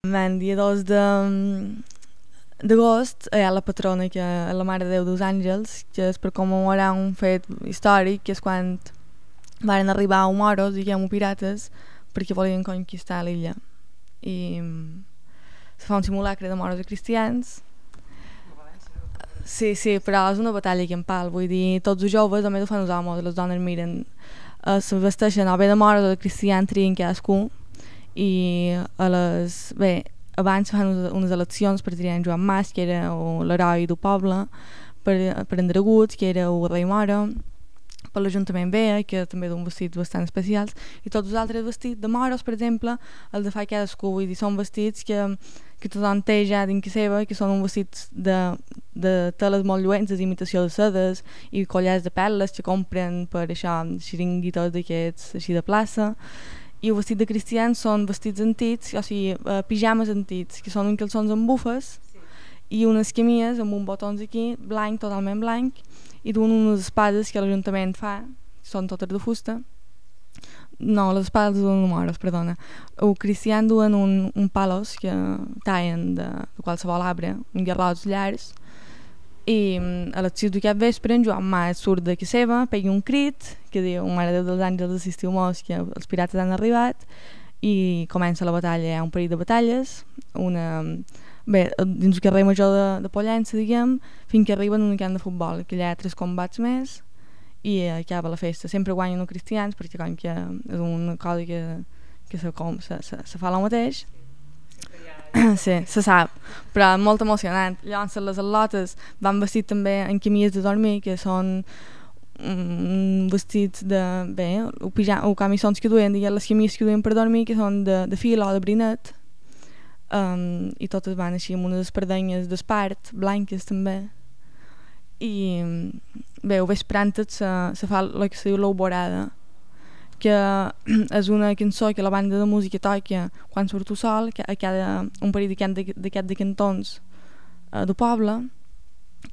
El dia 2 d'agost hi ha la patrona, que és la Mare de Déu dels Àngels, que és per commemorar un fet històric, que és quan van arribar moros, diguem-ho pirates, perquè volien conquistar l'illa. I se fa un simulacre de moros i cristians. Sí, però és una batalla campal, vull dir, tots els joves, a més ho fan els homes, les dones miren, se vesteixen o bé de moros o de cristians, trien cadascú, i abans fan unes eleccions per triar en Joan Mas, que era l'heroi del poble, per en Dragut, que era el rei moro, per l'Ajuntament B, que també d'un vestits bastant especials, i tots els altres vestits de moros, per exemple, els de fa cadascú, vull dir, són vestits que tothom té ja dins que seva, que són uns vestits de teles molt lluents, d'imitació de sedes i collars de perles que compren per això, xiringuitos d'aquests així de plaça. I el vestit de cristians són vestits antics, o sigui, pijames antics, que són uns calçons amb bufes i unes camies amb uns botons aquí, blanc, totalment blanc, i duen unes espades que l'Ajuntament fa, són totes de fusta. No, les espades duen moros, perdona. Els cristians duen un palos que tallen de qualsevol arbre, un garrots llargs, i a les 6 d'aquest vespre en Joan Mas surt de casa seva, pega un crit que diu Mare de Déu dels Àngels assistiu-mos, que els pirates han arribat, i comença la batalla. Hi ha un parell de batalles, dins el carrer major de Pollença, diguem, fins que arriben a un camp de futbol, que hi ha 3 combats més i acaba la festa. Sempre guanyen els cristians, perquè com que és una cosa que se fa el mateix. Sí, se sap, però molt emocionant. Llavors les al·lotes van vestits també en camies de dormir, que són vestits de o camissons que duen, diguem, les camies que duen per dormir, que són de fil o de brinet, i totes van així amb unes espardenyes d'espart blanques també. I ho vespre antes se fa el que se diu l'alborada, que és una cançó que la banda de música toca quan surt el sol, a cada un parell de cantons del poble,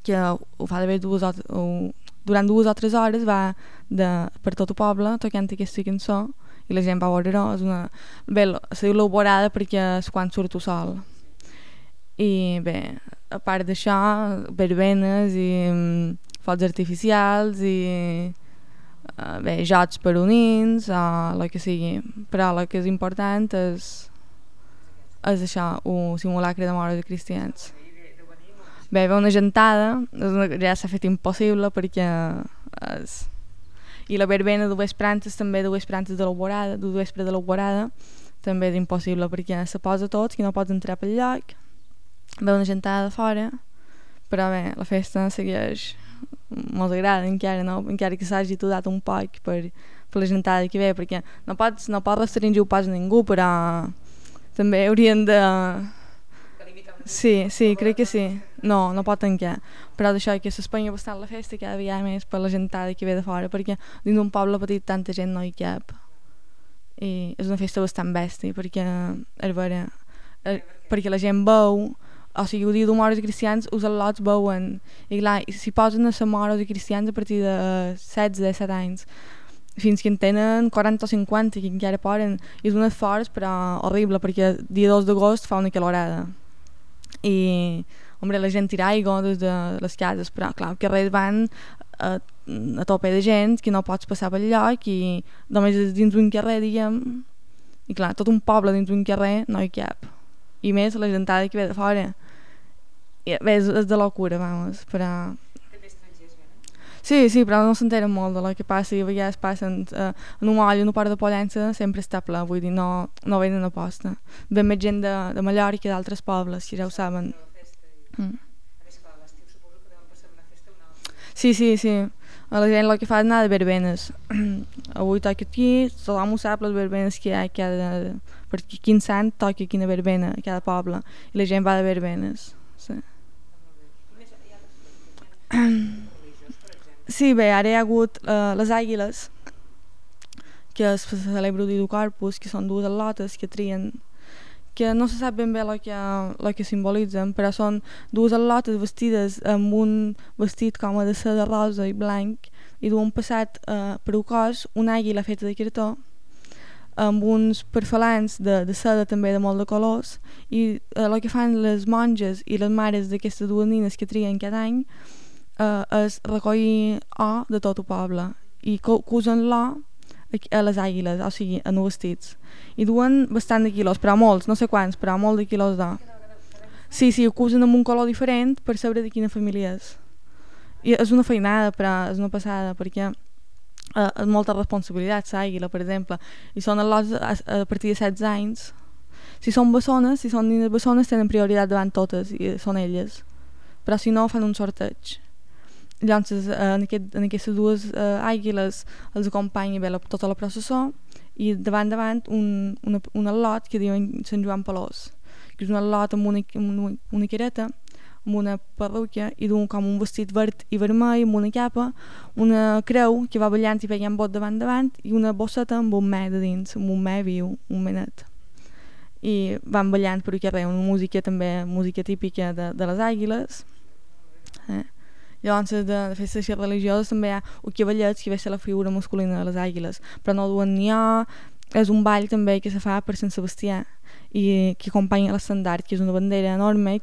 que ho fa d'haver durant 2 o 3 hores, va per tot el poble tocant aquesta cançó i la gent va veure-ho. Se diu l'alborada perquè és quan surt el sol. I a part d'això, verbenes i focs artificials i jocs per unins o el que sigui, però el que és important és això, un simulacre de moros i cristians. Hi ha una gentada, ja s'ha fet impossible perquè i la verbena de vesprantes també, de vesprantes de l'alborada, de vespre de l'alborada, també és impossible perquè se posa tots, que no pots entrar pel lloc. Hi ha una gentada de fora, però la festa segueix. Mos agrada encara que s'hagi aturat un poc per la gentada que ve, perquè no pots restringir el pas a ningú, però també haurien de... Sí, crec que sí. No pot tancar, però d'això que s'espanya bastant la festa cada vegada més per la gentada que ve de fora, perquè dins d'un poble petit tanta gent no hi cap i és una festa bastant bèstia, perquè la gent veu. O sigui, el dia de moros i cristians els al·lots veuen, i clar, si posen a ser moros i cristians a partir de 16-17 anys, fins que en tenen 40 o 50, que encara poden, i és un esforç però horrible, perquè el dia 2 d'agost fa una calorada i la gent tira aigua des de les cases, però clar, els carrers van a tope de gent, que no pots passar pel lloc i només és dins d'un carrer, diguem, i clar, tot un poble dins d'un carrer no hi cap, i més la gentada que ve de fora. És de locura, vamos, però... Sí, però no s'enteren molt de lo que passa, i a vegades passen en un moll, en un port de Pollença, sempre està ple, vull dir, no venen a posta. Ve més gent de Mallorca i d'altres pobles, que ja ho saben. Sí. A la gent el que fa és anar de verbenes. Avui toca aquí, tothom ho sap, les verbenes que hi ha perquè quin sant toca quina verbena a cada poble, i la gent va de verbenes. Sí, ara hi ha hagut les àguiles, que es celebra el dia del Corpus, que són 2 al·lotes que trien, que no se sap ben bé el que simbolitzen, però són 2 al·lotes vestides amb un vestit com de seda rosa i blanc, i duen passat per el cos una àguila feta de cartó, amb uns perfalants de seda també de molt de colors i el que fan les monges i les mares d'aquestes dues nines que trien cada any és recollir or de tot el poble i usen l'or a les àguiles, o sigui, en els vestits. I duen bastant de quilos, però molts, no sé quants, però molt de quilos d'or. Sí, ho usen amb un color diferent per saber de quina família és. I és una feinada, però és una passada, perquè és molta responsabilitat, l'àguila, per exemple. I són al·lots a partir de 16 anys. Si són bessones, si són nines bessones, tenen prioritat davant totes, i són elles. Però si no, fan un sorteig. Llavors, en aquestes dues àguiles els acompanya bé tota la processó i davant un al·lot que diuen Sant Joan Pelós, que és un al·lot amb una careta, amb una perruca i d'un com un vestit verd i vermell amb una capa, una creu que va ballant i pegant bot davant i una bosseta amb un me de dins, amb un me viu, un menet. I van ballant per aquí arreu, una música també, música típica de les àguiles. Llavors de festes religioses també hi ha el cavallet que ve ser la figura masculina de les àguiles, però no duen ni or, és un ball també que se fa per Sant Sebastià i que acompanya l'estendard, que és una bandera enorme